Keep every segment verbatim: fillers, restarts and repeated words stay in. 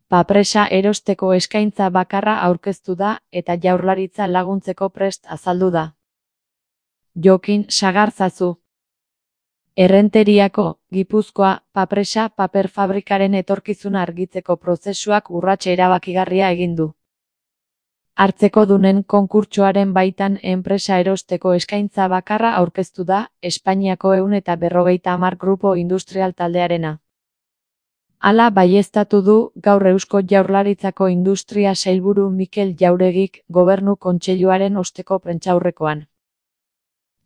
Papresa erosteko eskaintza bakarra aurkeztu da eta Jaurlaritza laguntzeko prest azaldu da. Jokin Sagarzazu. Errenteriako, Gipuzkoa, papresa paper fabrikaren etorkizuna argitzeko prozesuak urrats erabakigarria egin du. Hartzekodunen konkurtsoaren baitan enpresa erosteko eskaintza bakarra aurkeztu da, Espainiako ehun eta berrogeita hamar grupo industrial taldearena. Hala baieztatu du gaur Eusko Jaurlaritzako Industria Sailburu Mikel Jauregik Gobernu Kontseiluaren osteko prentsaurrekoan.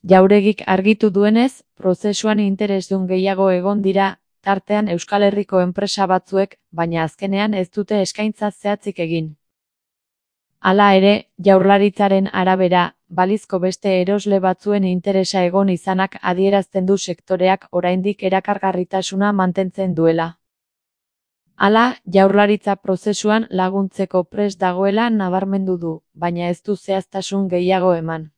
Jauregik argitu duenez, prozesuan interesdun gehiago egon dira, tartean Euskal Herriko enpresa batzuek, baina azkenean ez dute eskaintza zehatzik egin. Hala ere, Jaurlaritzaren arabera, balizko beste erosle batzuen interesa egon izanak adierazten du sektoreak oraindik erakargarritasuna mantentzen duela. Hala, Jaurlaritza prozesuan laguntzeko prest dagoela nabarmendu du, baina ez du zehaztasun gehiago eman.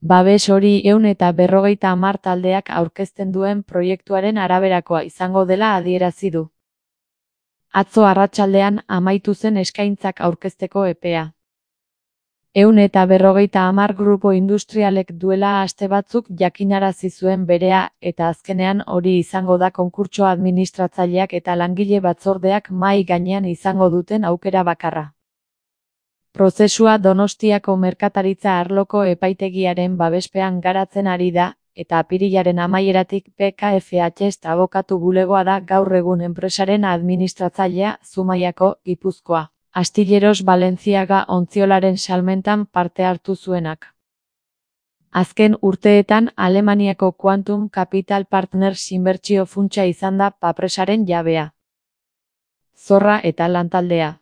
Babes hori ehun eta berrogeita hamar taldeak aurkezten duen proiektuaren araberakoa izango dela adierazi du. Atzo arratsaldean amaitu zen eskaintzak aurkezteko epea. Ehun eta berrogeita hamar grupo industrialek duela aste batzuk jakinarazi zuen berea eta azkenean hori izango da konkurtso administratzaileak eta langile batzordeak mahai gainean izango duten aukera bakarra. Prozesua Donostiako merkataritza arloko epaitegiaren babespean garatzen ari da, eta apirilaren amaieratik P K F H abokatu bulegoa da gaur egun enpresaren administratzailea Zumaiako, Gipuzkoa. Astilleros Balenciaga ontziolaren salmentan parte hartu zuenak. Azken urteetan Alemaniako Quantum Capital Partners inbertsio funtsa izan da papresaren jabea. Zorra eta lantaldea.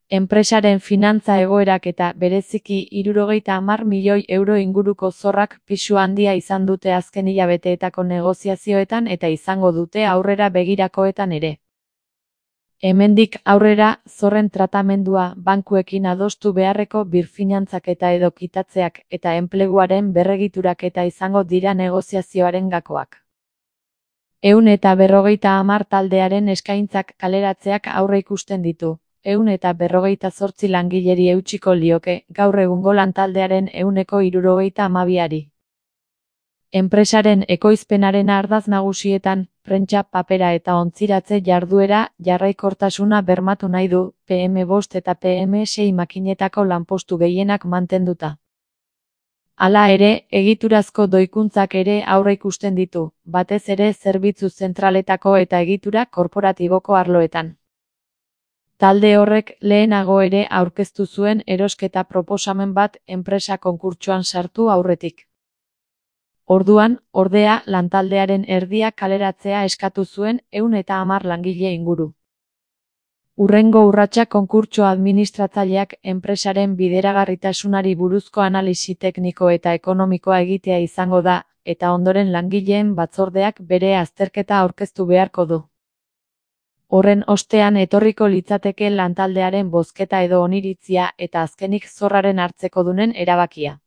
Enpresaren finantza egoerak eta bereziki hirurogeita hamar milioi euro inguruko zorrak pisu handia izan dute azken hilabeteetako negoziazioetan eta izango dute aurrera begirakoetan ere. Hemendik aurrera, zorren tratamendua bankuekin adostu beharreko birfinantzaketa edo kitatzeak eta enpleguaren berregituraketa izango dira negoziazioaren gakoak. Ehun eta berrogeita hamar taldearen eskaintzak kaleratzeak aurreikusten ditu. Ehun eta berrogeita zortzi langileri eutsiko lioke, gaur egungo lantaldearen ehuneko hirurogeita hamabiari. Enpresaren ekoizpenaren ardatz nagusietan, prentsa, papera eta ontziratze jarduera jarraikortasuna bermatu nahi du, P M bost eta P M sei makinetako lanpostu gehienak mantenduta. Hala ere, egiturazko doikuntzak ere aurreikusten ditu, batez ere zerbitzu zentraletako eta egitura korporatiboko arloetan. Talde horrek lehenago ere aurkeztu zuen erosketa proposamen bat enpresa konkurtsoan sartu aurretik. Orduan, ordea, lantaldearen erdia kaleratzea eskatu zuen ehun eta hamar langile inguru. Hurrengo urratsa konkurtso administratzaileak enpresaren bideragarritasunari buruzko analisi tekniko eta ekonomikoa egitea izango da, eta ondoren langileen batzordeak bere azterketa aurkeztu beharko du. Horren ostean etorriko litzateke lantaldearen bozketa edo oniritzia eta azkenik zorraren hartzekodunen erabakia.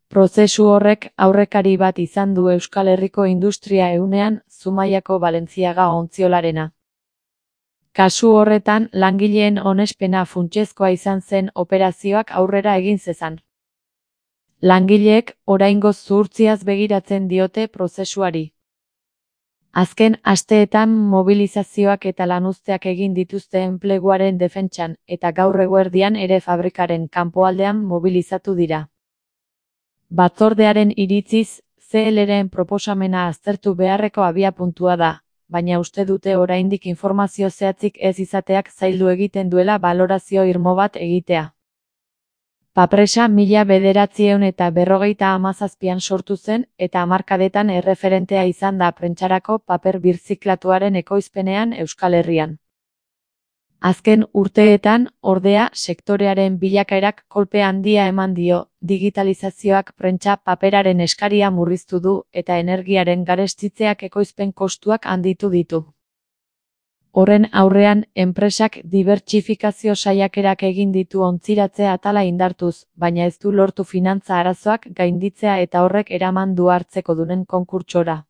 Prozesu horrek aurrekari bat izan du Euskal Herriko industria ehunean, Zumaiako Balenciaga ontziolarena. Kasu horretan, langileen onespena funtsezkoa izan zen operazioak aurrera egin zezan. Langileek oraingoz zuhurtziaz begiratzen diote prozesuari. Azken asteetan mobilizazioak eta lanuzteak egin dituzte enpleguaren defentsan, eta gaur eguerdian ere fabrikaren kanpoaldean mobilizatu dira. Batzordearen iritziz, C L-ren proposamena aztertu beharreko abiapuntua da, baina uste dute oraindik informazio zehatzik ez izateak zaildu egiten duela balorazio irmo bat egitea. Papresa mila bederatziehun eta berrogeita hamazazpian sortu zen eta hamarkadetan erreferentea izan da prentsarako paper birziklatuaren ekoizpenean Euskal Herrian. Azken urteetan, ordea, sektorearen bilakaerak kolpe handia eman dio, digitalizazioak prentsa paperaren eskaria murriztu du eta energiaren garestitzeak ekoizpen kostuak handitu ditu. Horren aurrean, enpresak dibertsifikazio saiakerak egin ditu ontziratze atala indartuz, baina ez du lortu finantza arazoak gainditzea eta horrek eraman du hartzekodunen konkurtsora.